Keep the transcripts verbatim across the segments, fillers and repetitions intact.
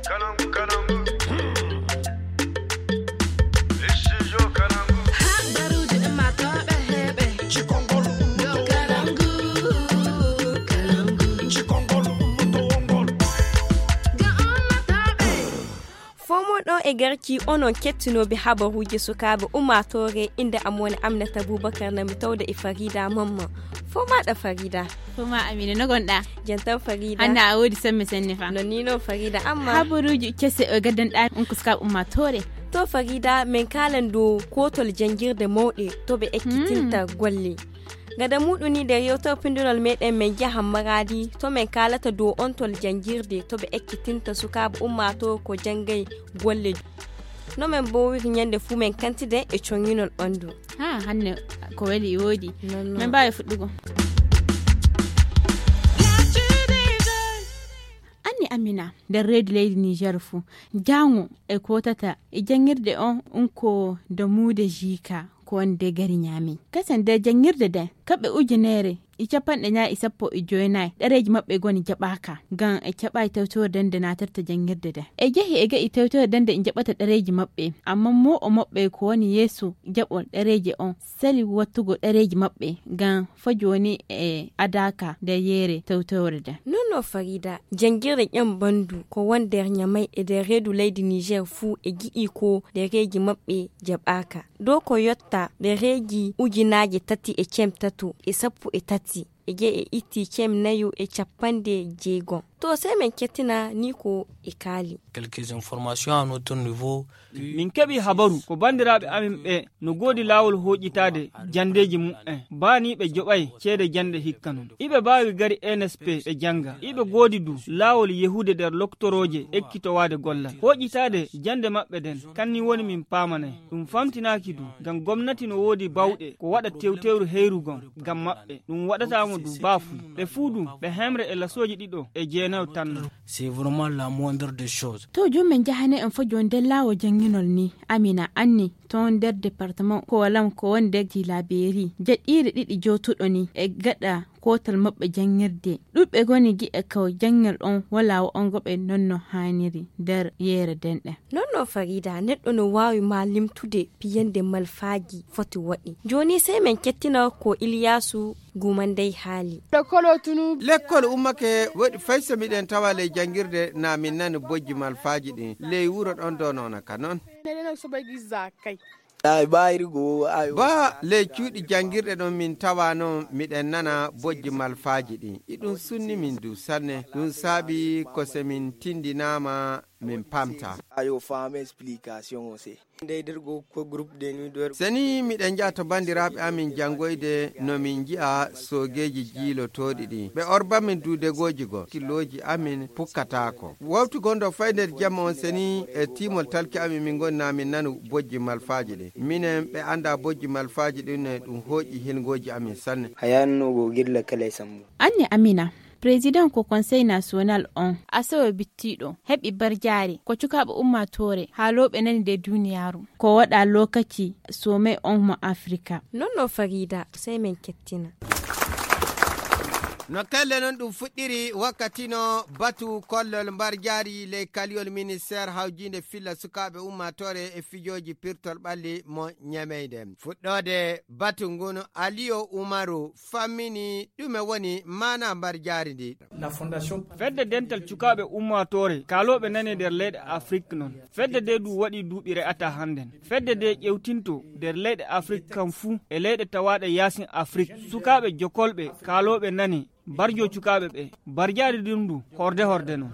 Habaruuji ummaatooɓe heɓe. Cikongol ummaatooɓe. Cikongol ummaatooɓe. Fomo ɗo e garki onon kettinooɓe habaruuji sukaaɓe ummaatoore, innde am woni Aminata Boubacar, na mi tawde e Farida Mamma. Fomaɗa Farida. Foma Amina, no gonɗa? Jantan Farida. Hanna a wodi semme senne fa. No ni no Farida, amma habaruuji kese o gaddanɗa on ko sukaaɓe ummaatoore. To Farida, min kaalan dow kootol janngirde mawɗe to ɓe ekkitinta golle. Gada muɗum ni, nder yewtere pindunol meɗen, min njahan Maraadi to min kaalata dow ontol janngirde to ɓe ekkitinta sukaaɓe ummaatoore ko janngay golle. No min mboowiri ñannde fuu min kantide e coññinol ɓanndu. Ha, hannde ko weli e woodi. Non, non. Min mbaawi fuɗɗugo. Anni Amina, nder reedu leydi Niger fuu, jaango e kootata e janngirde on, un ko damuude jiika ko wonde gari ñaami. Kasen nder janngirde nden, kaɓɓe ujunere e capanɗe ñaay e sappo e joynayi ɗereeji maɓɓe goni jaɓaaka, ngam e caɓaay tewtorde nde naatirta janngirde nden. E jehi e ga'i tewtorde nden njaɓata ɗereeji maɓɓe, amma moo'o maɓɓe ko woni yeeso jaɓol ɗereeji on sali wattugo ɗereeji maɓɓe, ngam fo jooni e adaaka nder yeere tewtorde nden. Non no Farida, janngirde ƴam ɓanndu ko won nder Ñamay e nder reedu leydi Niger fuu e gi'i ko ɗereeji maɓɓe jaɓaaka. Dow ko yotta ɗereeji ujunaaje tati e cem tato e sappo e tati e je e itti cem nayo e capanɗe jeegom. To sey min kettina ni ko e kaali. Quelques informations à notre niveau. Min keɓi habaru ko banndiraaɓe amin ɓe no goodi laawol hooƴitaade janndeeji mumen. Baaniiɓe joɓay ceede jannde hikka non. Iɓe mbaawi gari N S P ɓe jannga. Iɓe goodi du laawol yehude nder loktorooje ekkitowaade gollal. Hooƴitaade jannde maɓɓe nden, kanni woni min paamanay. Ɗum famtinaaki du, ngam gomnati no woodi bawɗe ko waɗa tewtewru heyru gon ngam maɓɓe. Ɗum waɗataa mo du baafuy. Ɓe fuu du, ɓe hemre e lasooji ɗiɗo e jeenayo tan non. C'est vraiment la moindre des choses. To joom men jahane en fo jooni nder laawol jannginol ni. Amina anni, ton nder département ko walam ko woni nder Tilaberi. Jaɗɗiire ɗiɗi jootuɗo ni e gaɗa kootal maɓɓe janngirde. Ɗuɗɓe goni gi'e ko janngel on walaa wo on goɓe non no haaniri nder yeere denɗe. Non no Farida, neɗɗo no waawi ma limtude piyande malfaaji foti waɗi. Jooni sey men kettina ko Iliyaasu Gumandey haali. Lekkol o tunu. Lekkol ummake waɗi fay so miɗen tawa ley janngirde na min nani bojji malfaaji ɗin. Ley wuro ɗon do noona ka non. Nene no soɓa gi zaakay. Ay, ɓaayri go, ay. Ba ley cuuɗi janngirɗe ɗon min tawa non miɗen nana bojji malfaaji ɗin. Iɗum sunni min du sanne. Ɗum saabi ko se min tindinaama min pamta. Ayo faama explication o se. Ndey der go ko groupe de nuit der. Seni miɗen njaha to banndiraaɓe amin janngoyde no min nji'a soogeeji jiilotooɗi ɗi. Ɓe orba min duudegooji go. Kilooji amin pukkataako. Wawtu gondo fay nder jamma on seni e tiimol talki amin min ngoni na min nanu bojji malfaaji ɗi. Minen ɓe annda bojji malfaaji ɗin ne ɗum hooƴi hilngooji amin sanne. Hayanno go gilla kala e sammu. Anne Amina, président ko Conseil National on, asawe bittiiɗo, heɓi barjaari ko cukaaɓe ummaatoore haalooɓe nani nder duniyaaru. Ko waɗa lokaci sommet on mo Afrika. Non no Farida, sey men kettina. No kelle non ɗum fuɗɗiri wakkati no batu kollol mbarjaari ley kaliyol ministère hawjiinde filla sukaaɓe ummaatoore e fijooji pirtol ɓalli mo Ñameyde. Fuɗɗoode batu ngun Aliyo Umaru fammini ɗume woni maana mbarjaari ndi. Fedde dental cukaaɓe ummaatoore kaalooɓe nane nder leyɗe Afrik non. Fedde de du waɗi duuɓi re'ata hannden. Fedde de ƴewtinto nder leyɗe Afrik kam fuu e leyɗe tawaaɗe yaasin Afrik. Sukaaɓe jokolɓe kaalooɓe nane barjo cukaaɓe ɓe. Barjaari ndin du horde horde non.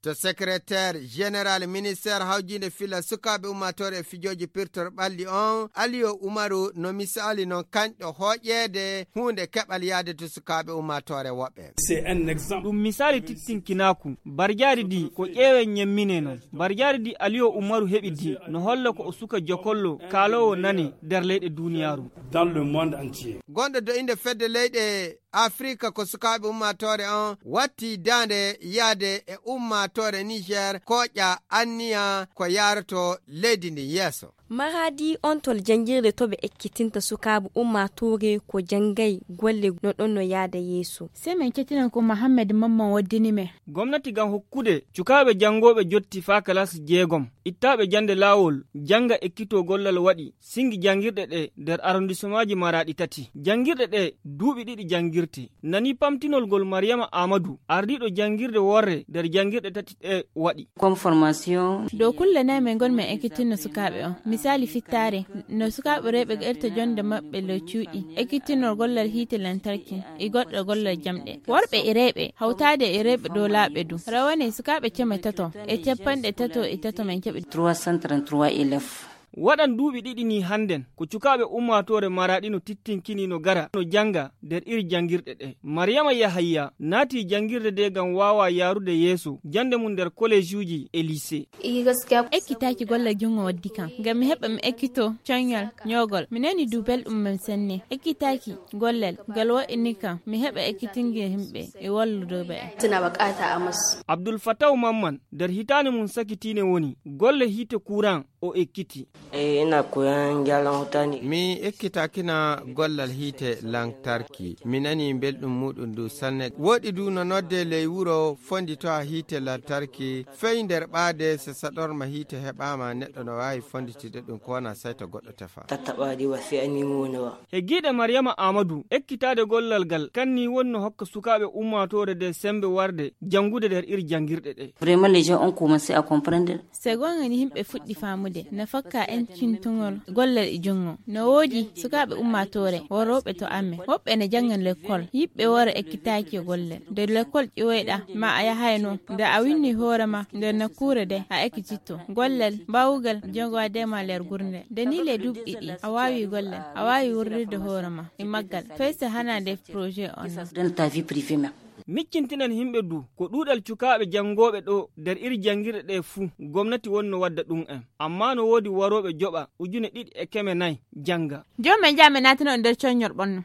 To secrétaire général ministère hawjiinde filla sukaaɓe ummaatoore e fijooji pirtor ɓalli on, Aliyo Umaru no misaali non kanƴo hooƴeede huunde keɓal yaade to sukaaɓe ummaatoore woɓɓe. Ɗum misaali tittinkinaaku. Barjaari di ko ƴeewen ñemmine non. Barjaari di Aliyo Umaru heɓi di no holla ko o suka jokollo kaaloowo nane nder leyɗe duniyaaru. Dans le monde entier. Gonɗo do innde fedde leyɗe Afrika ko sukaaɓe ummaatoore on watti daande yaade e ummaatoore Niger kooƴa anniya ko yaaroto leydi ndin yeeso. Maraadi on tol janngirde to ɓe ekkitinta sukaaɓe ummaatoore ko janngay golle no ɗon no yaada yeeso. Sey men kettinan ko Mohammed Mamman waddini men. Gomnati ngam hokkude cukaaɓe janngooɓe jotti faa kalas jeegom, ittaaɓe jannde laawol, jannga ekkitoo gollal waɗi, sinngi janngirɗe ɗe nder arrondissemaaji Maraadi tati. Janngirɗe ɗe duuɓi ɗiɗi janngirte. Nani pamtinol ngol Mariyama Aamadu, ardiiɗo janngirde worre nder janngirɗe tati ɗe waɗi. Dow kulle nayi men ngon men ekkitinno sukaaɓe on. Misaali fittaare, no sukaaɓe rewɓe gaɗirta jonde maɓɓe ley cuuɗi, ekkitinol gollal hiite lantarki, e goɗɗo gollal jamɗe. Worɓe e rewɓe, hawtaade e rewɓe doolaaɓe du. Rawane sukaaɓe ceme tato, e cappanɗe tato e tato men keɓi. Waɗan duuɓi ɗiɗi nii hannden, ko cukaaɓe ummaatoore Maraadi no tittinkini no gara, no jannga nder iri janngirɗe ɗe. Mariyama Yahayya naati janngirde de ngam waawa yaarude yeeso jannde mum nder kolejuuji e lise. Ekkitaaki golle junngo waddi kam, ngam mi heɓa mi ekkito coññol ñoogol. Mi nani du belɗum mum sanne. Ekkitaaki gollal ngal waɗini kam, mi heɓa ekkitingel yimɓe e wallude ɓe. Abdul Fataw Mamman, nder hitaande mum sakitiinde woni golle hiite kuuran o ekkitii. Mi ekkitakina gollal hiite lantarki. Mi nani belɗum muuɗum ndu sanne. Woɗi du no nodde ley wuro fonditowa hiite lantarki. Fey nder ɓaade, so saɗorma hiite heɓaama, neɗɗo no waawi fonditide ɗum ko wona sey to goɗɗo tefa. He giiɗe Mariyama Aamadu, ekkitaade gollal ngal, kanni woni no hokka sukaaɓe ummaatoore nde semmbe warde janngude nder iri janngirɗe ɗe. Se goonga ni, yimɓe fuɗɗi faamude no fakka enkintugol gollal e junngo. No woodi sukaaɓe ummaatoore, worooɓe to amen. Woɓɓe ne jannga lekkol. Yiɓɓe wora ekkitaaki e gollal. Nde lekkol ƴiwoyɗa, ma a yahayno, nde a winni hoore ma nder nokkuure de, a ekkititto. Gollal, mbaawugal, jonngo a dema nder gurnde. Nde ni le duuɓi ɗiɗi, a waawi gollal, a waawi wurrirde hoore ma e maggal. Fay so hanaande projet on. Miccintinen yimɓe du, ko ɗuuɗal cukaaɓe janngooɓe ɗo nder iri janngirɗe ɗe fuu, gomnati woni no wadda ɗum en. Ammaa no woodi warooɓe joɓa ujune ɗiɗi e keme nayi jannga. Jooni men njaha men naatino nder coññol ɓonno.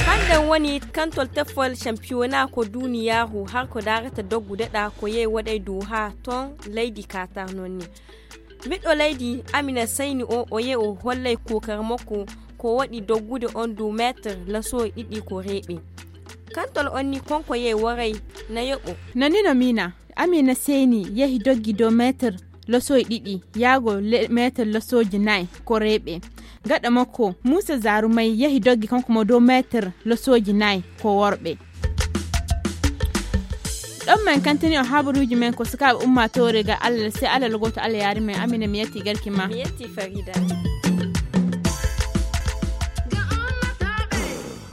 Hannden woni kantol teffol campiyona ko duuniyaaru har ko daarata doggude ɗa ko yehi waɗay dow haa ton leydi Katar noon ni. Ɓiɗɗo leydi Amina Sayni o, o yehi o hollay kuukar makko ko waɗi doggude on dow meetir lasooji ɗiɗi ko reeɓi. Kantol on ni konko yehi waray na yoɓo. No ni no miina, Amina Seyni yehi doggi dow meetir losooji ɗiɗi, yaago le-, meetir losooji nayi ko reeɓe. Gaɗa makko, Muusa Zaarumay yehi doggi kanko mo dow meetir losooji nayi ko worɓe. Ɗon men kantini o habaruuji men ko sukaaɓe ummaatoore ga Allah, sey Allah logooto Allah yaari men. Amina, mi yetti garki ma. Mi yetti Farida.